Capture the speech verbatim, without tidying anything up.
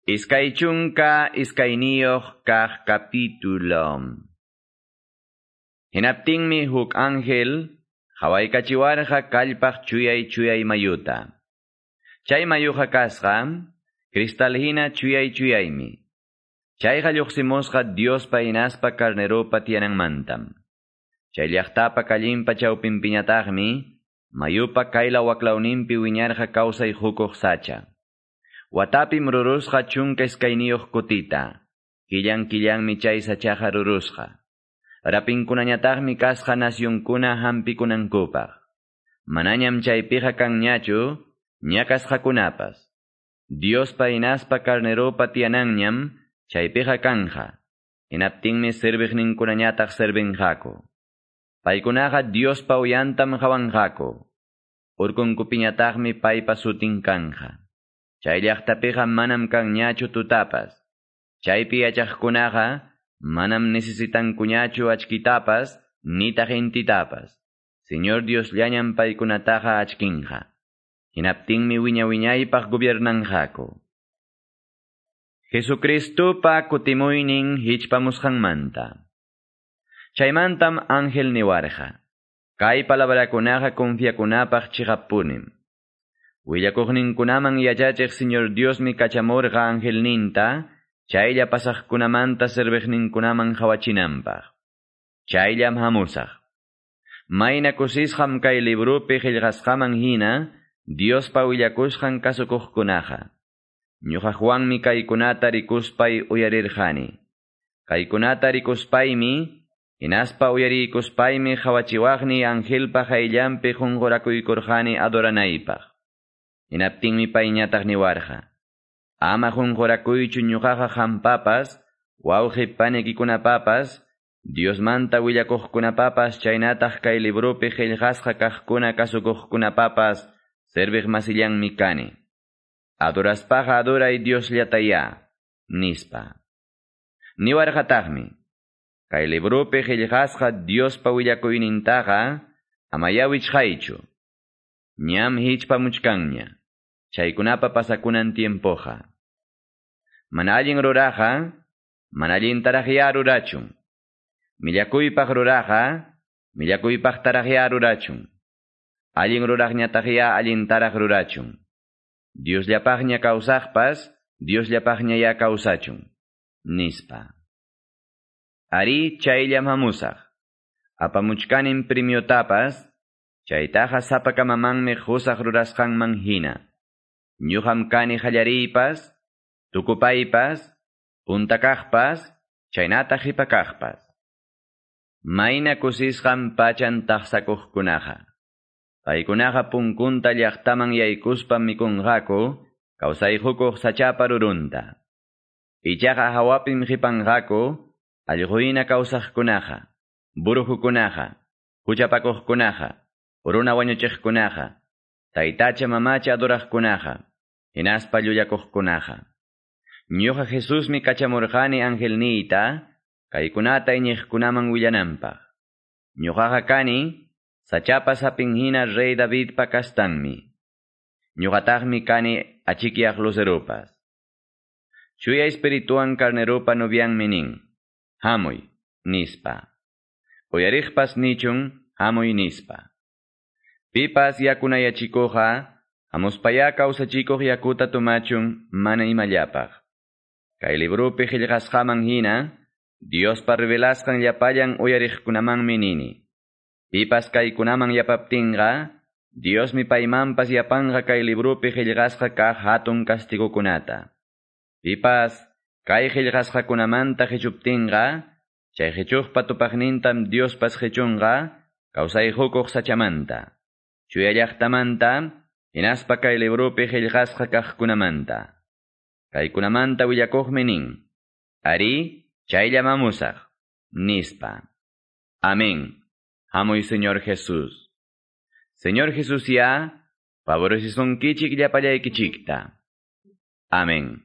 Iskay chunka iskayniyuq kaq capítulo. Hinaptinmi huk ángel qawaykachiwarqa kallpaq chuyay chuyay mayuta. Chay mayuqa kasqa cristal hina chuyay chuyaymi. Chayqa lluqsimusqa Diospa hinaspa carneropa tiyananmantam. Chay llaqtapa kallinpa chawpinpiñataqmi mayupa kaylaw waklawninpi wiñarqa kawsay hukuq sacha. Watapim rurusqa chunka iskayniyuq kutita. Killan killanmi chay sachaqa rurusqa. Rapinkunañataqmi kasqa nacionkuna hampikunankupaq. Manañam chaypiqa kanñachu ñakasqakunapas. Diospa hinaspa carneropa tiyananñam chaypiqa kanja. Hinaptinmi serviqninkunañataq servinqaku. Paykunaqa Diospa uyantam qawanqaku. Urkunkupiñataqmi paypa sutin kanja. Chay llaqtapiqa manam kanñachu tutapas. Chaypi yachaqkunaqa manam necesitankuñachu achkitapas nitaq intitapas. Señor Dios llañam paykunataqa achkinqa. Hinaptinmi wiña wiñaypaq gobiernanqaku. Jesucristupa kutimuynin hichpamusqanmanta. Chaymantam ángel niwarqa. Kay palabrakunaqa confiakunapaq chiqappunim. Willakuqninkunaman yachachiq Señor Diosmi kachamurqa angelninta, chaylla pasaqkunamanta serviqninkunaman qawachinanpaq. Chayllam hamusaq. Mayna kusisqam kay librupi qillqasqaman hina, Diospa willakusqan kasukuqkunaqa. Ñuqa Juanmi kaykunata rikuspay uyarirqani. Kaykunata rikuspaymi, hinaspa uyariykuspaymi qawachiwaqni angelpa qayllanpi qunqurakuykurqani adoranaypaq. Hinaptinmi payñataq niwarqa. Ama qunqurakuychu ñuqaqa qampapas, wawqi panikikunapapas, Diosmanta willakuqkunapapas chaynataq kay librupi qillqasqa kaqkuna kasukuqkunapapas serviq masillanmi kani. Adoraspaqa adoray Diosllatayá, nispa. Niwarqataqmi, kay librupi qillqasqa Diospa willakuynintaqa amayá wichqaychu. Ñam hichpamuchkanña. Chaykunapa pasakunan tiempoqa. Mana allin ruraqa, mana allintaraqyá rurachun. Millakuypaq ruraqa, millakuypaqtaraqyá rurachun. Allin ruraqñataqyá allintaraq rurachun. Diosllapaqña kawsaqpas, Diosllapaqñayá kawsachun. Nispa. Ari chayllam hamusaq. Apamuchkanim premiotapas, chaytaqa sapakamamanmi qusaq rurasqanman hina. Ñuqam kani qallariypas, tukupaypas, punta kaqpas, chaynataq qipa kaqpas. Mayna kusisqam pachan taqsakuqkunaqa. Paykunaqa punkunta llaqtaman yaykuspam mikunqaku, kawsayqukuq sachapa rurunta. Ichaqa hawapim qipanqaku, allquyna kawsaqkunaqa, burujukunaqa, huchapakuqkunaqa, runa wañuchiqkunaqa, taytacha mamacha adoraqkunaqa, hinaspa llullakuqkunaqa. Ñuqa Jesusmi kachamurqani angelniyta, kaykunata iñiqkunaman willananpaq. Ñuqaqa kani, sachapa sapin hina rey Davidpa kastanmi. Ñuqataqmi kani achikyaq luceropas. Chuya espirituan carneropa novianmi nin, hamuy, nispa. Uyariqpas nichun, hamuy nispa. Pipas yakunayachikuqqa, hamuspayá kawsachikuq yakuta tumachun mana imallapaq. Kay librupi qillqasqaman hina, Diospa revelasqan llapallan uyariqkunamanmi nini. Pipas kaykunaman yapaptinqa, Diosmi paymanpas yapanqa kay librupi qillqasqa kaq hatun castigokunata. Pipas kay qillqasqakunamanta qichuptinqa, chay qichuqpa tupaqnintam Diospas qichunqa kawsayqukuq sachamanta. Chuya llaqtamanta, hinaspa kay librupi qillqasqa kaqkunamanta. Kaykunamanta willakuqmi nin, Ari, chayllam hamusaq, nispa. Amén. Hamuy Señor Jesús. Señor Jesús ya, favorecisunkichik llapallaykichikta. Amén.